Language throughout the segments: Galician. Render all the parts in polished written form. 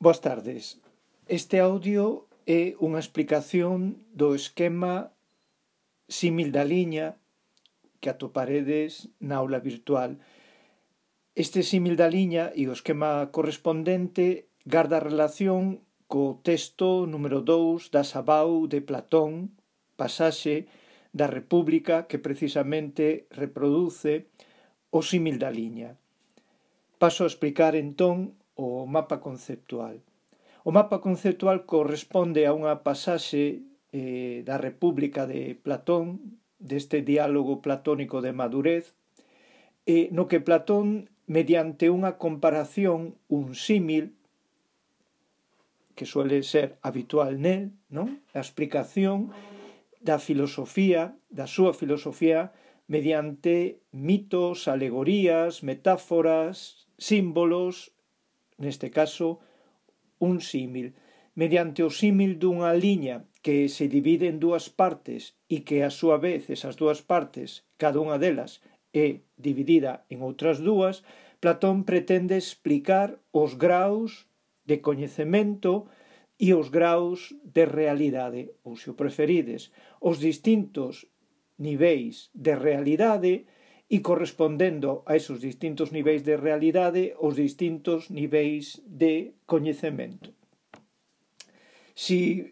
Boas tardes. Este audio é unha explicación do esquema símil da liña que atoparedes na aula virtual. Este símil da liña e o esquema correspondente garda relación co texto número 2 da Sabau de Platón, pasaxe da República que precisamente reproduce o símil da liña. Paso a explicar entón o mapa conceptual. O mapa conceptual corresponde a unha pasaxe da República de Platón, deste diálogo platónico de madurez, no que Platón, mediante unha comparación, un símil, que suele ser habitual nel, non? A explicación da filosofía, da súa filosofía, mediante mitos, alegorías, metáforas, símbolos, neste caso, un símil. Mediante o símil dunha liña que se divide en dúas partes e que, a súa vez, esas dúas partes, cada unha delas, é dividida en outras dúas, Platón pretende explicar os graus de coñecemento e os graus de realidade, ou, se o preferides, os distintos niveis de realidade e, correspondendo a esos distintos niveis de realidade, os distintos niveis de coñecemento. Si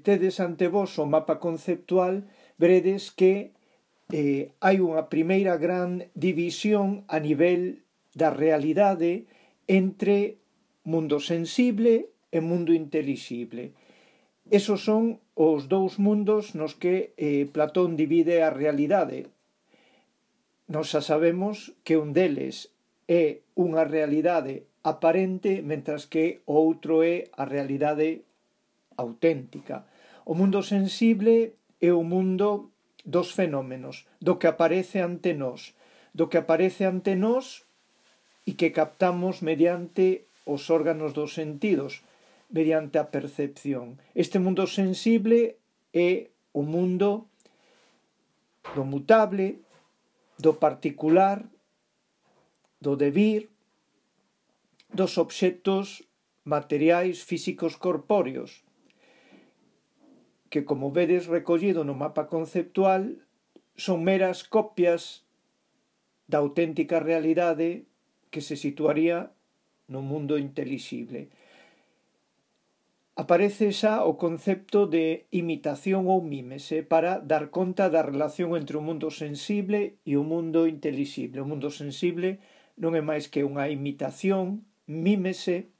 tedes ante vos o mapa conceptual, veredes que hai unha primeira gran división a nivel da realidade entre mundo sensible e mundo intelixible. Esos son os dous mundos nos que Platón divide a realidade. Nós xa sabemos que un deles é unha realidade aparente, mentras que o outro é a realidade auténtica. O mundo sensible é o mundo dos fenómenos, do que aparece ante nós, e que captamos mediante os órganos dos sentidos, mediante a percepción. Este mundo sensible é o mundo do mutable, do particular, do devir, dos obxectos materiais físicos corpóreos, que, como vedes recollido no mapa conceptual, son meras copias da auténtica realidade que se situaría no mundo intelixible. Aparece xa o concepto de imitación ou mímese para dar conta da relación entre o mundo sensible e o mundo intelixible. O mundo sensible non é máis que unha imitación, mímese,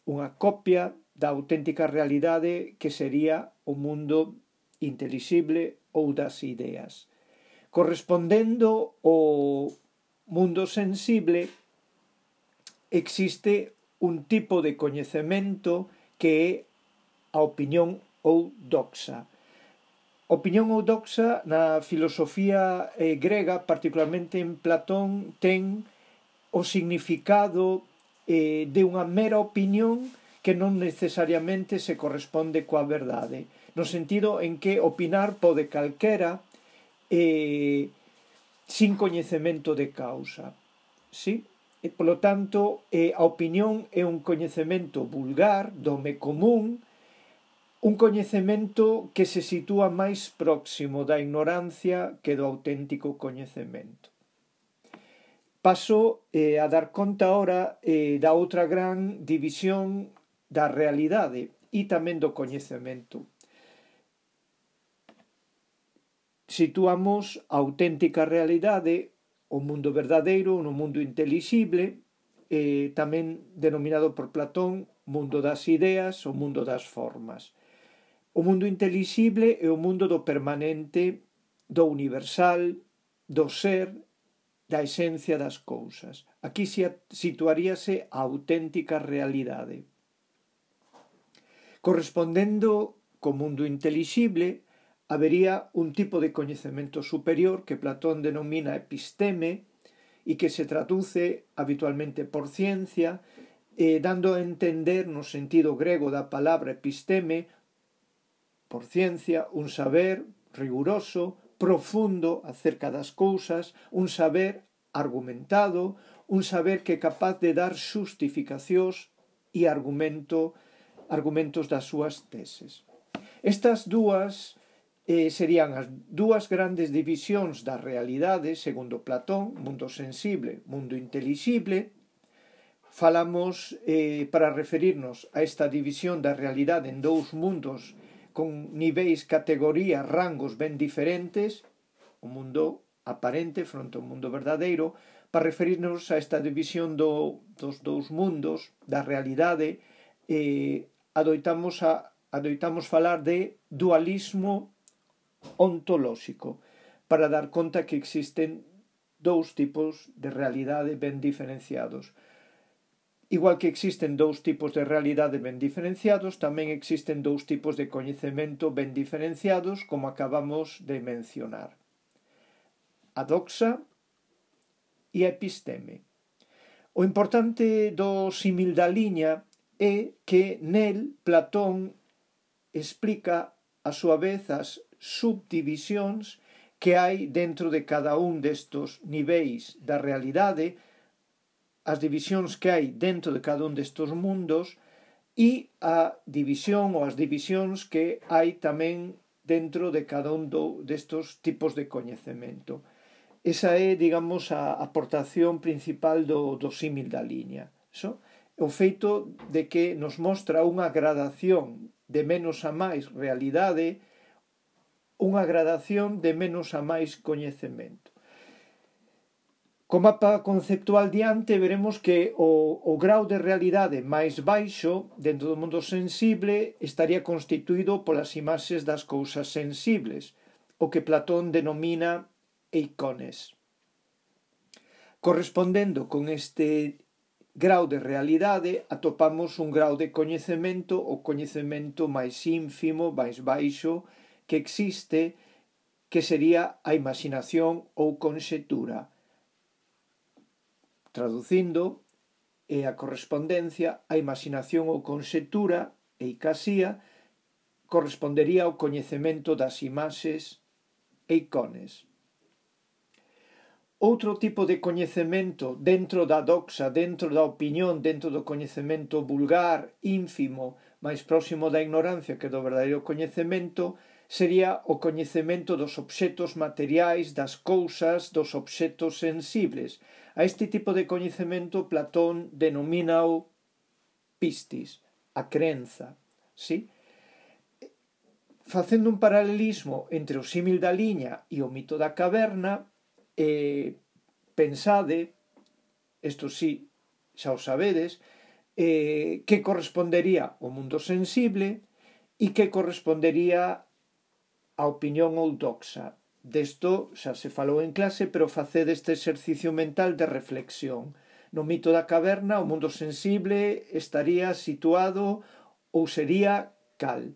unha copia da auténtica realidade que sería o mundo intelixible ou das ideas. Correspondendo ao mundo sensible, existe un tipo de coñecemento que é a opinión ou doxa. Opinión ou doxa na filosofía grega, particularmente en Platón, ten o significado de unha mera opinión que non necesariamente se corresponde coa verdade, no sentido en que opinar pode calquera sin coñecemento de causa. Sí? E, polo tanto, a opinión é un coñecemento vulgar, do home común, un coñecemento que se sitúa máis próximo da ignorancia que do auténtico coñecemento. Paso a dar conta ahora da outra gran división da realidade e tamén do coñecemento. Situamos a auténtica realidade, o mundo verdadeiro, no mundo intelixible, tamén denominado por Platón mundo das ideas, o mundo das formas. O mundo intelixible é o mundo do permanente, do universal, do ser, da esencia das cousas. Aquí situaríase a auténtica realidade. Correspondendo co mundo intelixible, habería un tipo de coñecemento superior que Platón denomina episteme e que se traduce habitualmente por ciencia, dando a entender no sentido grego da palabra episteme, por ciencia, un saber riguroso, profundo acerca das cousas, un saber argumentado, un saber que é capaz de dar xustificacións e argumentos das súas teses. Estas dúas serían as dúas grandes divisións da realidade, segundo Platón, mundo sensible, mundo intelixible. Falamos, para referirnos a esta división da realidade en dous mundos con niveis, categorías, rangos ben diferentes, o mundo aparente fronte ao mundo verdadeiro. Para referirnos a esta división dos dous mundos, da realidade, adoitamos falar de dualismo ontolóxico, para dar conta que existen dous tipos de realidade ben diferenciados. Igual que existen dous tipos de realidade ben diferenciados, tamén existen dous tipos de coñecemento ben diferenciados, como acabamos de mencionar: a doxa e a episteme. O importante do símil da liña é que nel Platón explica a súa vez as subdivisións que hai dentro de cada un destos niveis da realidade, as divisións que hai dentro de cada un destos mundos e a división ou as divisións que hai tamén dentro de cada un destos tipos de coñecemento. Esa é, digamos, a aportación principal do símil da liña. O feito de que nos mostra unha gradación de menos a máis realidade, unha gradación de menos a máis coñecemento. Co mapa conceptual diante veremos que o grau de realidade máis baixo dentro do mundo sensible estaría constituído polas imaxes das cousas sensibles, o que Platón denomina eikones. Correspondendo con este grau de realidade atopamos un grau de coñecemento, o coñecemento máis ínfimo, máis baixo que existe, que sería a imaxinación ou conxetura. Traducindo, a correspondencia, a imaxinación ou conxetura, eikasía, correspondería ao coñecemento das imaxes, eikones. Outro tipo de coñecemento dentro da doxa, dentro da opinión, dentro do coñecemento vulgar, ínfimo, máis próximo da ignorancia que do verdadeiro coñecemento, sería o coñecemento dos obxetos materiais, das cousas, dos obxetos sensibles. A este tipo de coñecemento Platón denomina-o pistis, a crenza. ¿Sí? Facendo un paralelismo entre o símil da liña e o mito da caverna, pensade, isto sí, xa o sabedes, que correspondería ao mundo sensible e que correspondería a opinión ou doxa. Desto xa se falou en clase, pero facede este exercicio mental de reflexión. No mito da caverna, o mundo sensible estaría situado ou sería cal,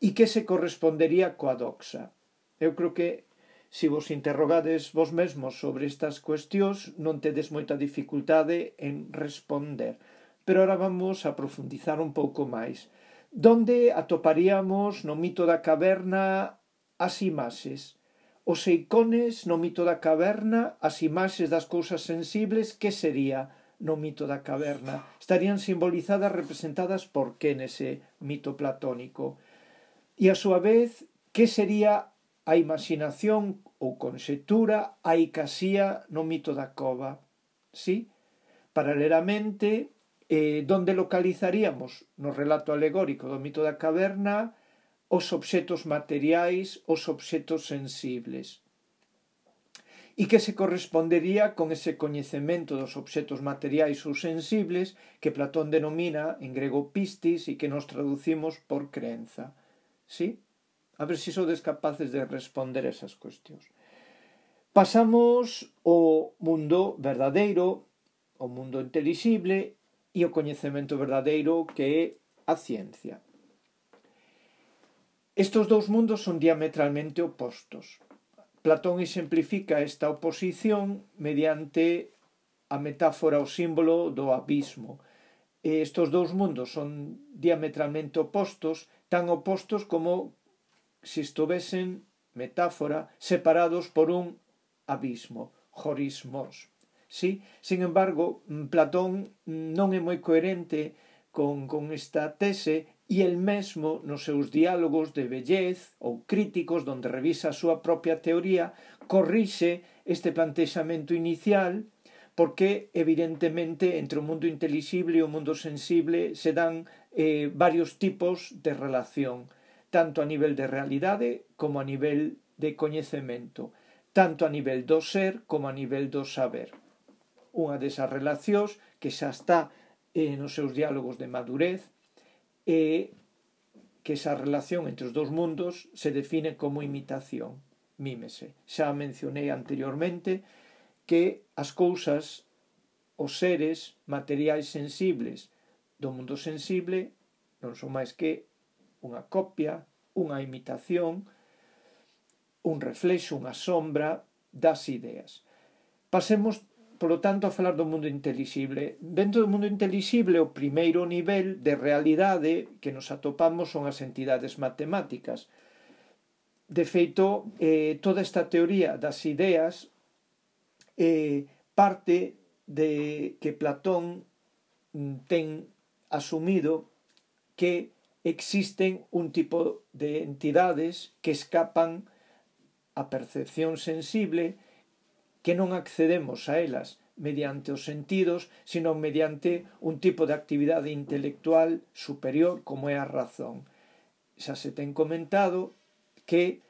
e que se correspondería coa doxa. Eu creo que se vos interrogades vos mesmos sobre estas cuestións non tedes moita dificultade en responder. Pero ahora vamos a profundizar un pouco máis. Donde atoparíamos no mito da caverna as imaxes? Os eikones no mito da caverna, as imaxes das cousas sensibles, que sería no mito da caverna? Estarían simbolizadas, representadas por que nese mito platónico? E a súa vez, que sería a imaxinación ou conxetura, a eikasía no mito da cova? Sí? Paralelamente, donde localizaríamos no relato alegórico do mito da caverna os obxetos materiais, os obxetos sensibles. E que se correspondería con ese coñecemento dos obxetos materiais ou sensibles que Platón denomina en grego pistis e que nos traducimos por crenza. Sí? A ver se sodes capaces de responder esas cuestións. Pasamos ao mundo verdadeiro, ao mundo intelixible e o coñecemento verdadeiro que é a ciencia. Estes dous mundos son diametralmente opostos. Platón exemplifica esta oposición mediante a metáfora, o símbolo do abismo. Estes dous mundos son diametralmente opostos, tan opostos como se estuvesen, metáfora, separados por un abismo, horismos. Sí? Sin embargo, Platón non é moi coherente con esta tese e el mesmo nos seus diálogos de vellez ou críticos donde revisa a súa propia teoría corrixe este plantexamento inicial porque evidentemente entre o mundo intelixible e o mundo sensible se dan varios tipos de relación, tanto a nivel de realidade como a nivel de coñecemento, tanto a nivel do ser como a nivel do saber. Unha desas relacións que xa está nos seus diálogos de madurez é que esa relación entre os dous mundos se define como imitación, mímese. Xa mencionei anteriormente que as cousas, os seres materiais sensibles do mundo sensible non son máis que unha copia, unha imitación, un reflexo, unha sombra das ideas. Pasemos, polo tanto, a falar do mundo intelixible. Dentro do mundo intelixible, o primeiro nivel de realidade que nos atopamos son as entidades matemáticas. De feito, toda esta teoría das ideas parte de que Platón ten asumido que existen un tipo de entidades que escapan á percepción sensible, que non accedemos a elas mediante os sentidos, sino mediante un tipo de actividade intelectual superior como é a razón. Xa se ten comentado que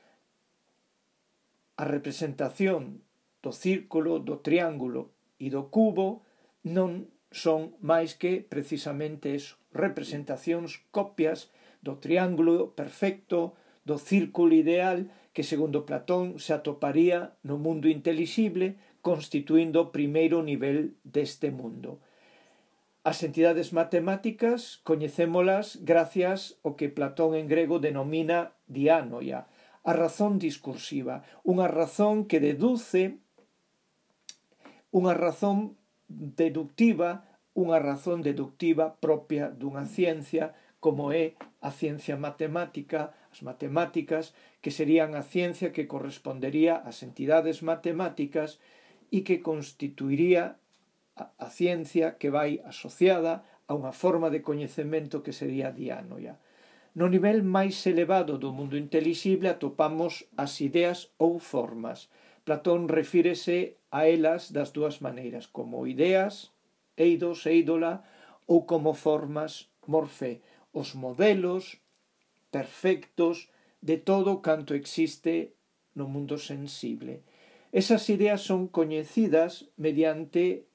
a representación do círculo, do triángulo e do cubo non son máis que precisamente eso, representacións, copias do triángulo perfecto, do círculo ideal que, segundo Platón, se atoparía no mundo intelixible, constituindo o primeiro nivel deste mundo. As entidades matemáticas coñecémolas gracias ao que Platón en grego denomina diánoia, a razón discursiva, unha razón que deduce, unha razón deductiva propia dunha ciencia como é a ciencia matemática, as matemáticas, que serían a ciencia que correspondería ás entidades matemáticas e que constituiría a ciencia que vai asociada a unha forma de coñecemento que sería diánoia. No nivel máis elevado do mundo intelixible atopamos as ideas ou formas. Platón refírese a elas das dúas maneiras, como ideas, eidos, eidola, ou como formas, morfé, os modelos perfectos de todo canto existe no mundo sensible. Esas ideas son coñecidas mediante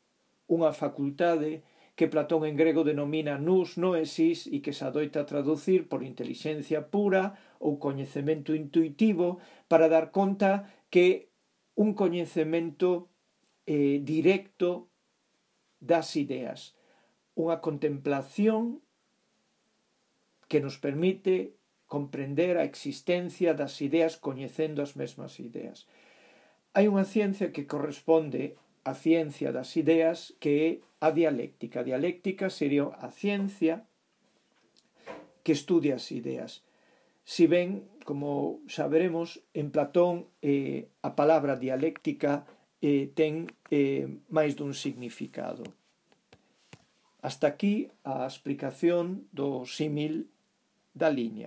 unha facultade que Platón en grego denomina nous noesis e que se adoita traducir por intelixencia pura ou coñecemento intuitivo para dar conta que un coñecemento directo das ideas, unha contemplación que nos permite comprender a existencia das ideas coñecendo as mesmas ideas. Hai unha ciencia que corresponde á ciencia das ideas que é a dialéctica. A dialéctica sería a ciencia que estudia as ideas. Si ben, como xa veremos, en Platón a palabra dialéctica ten máis dun significado. Hasta aquí a explicación do símil da liña.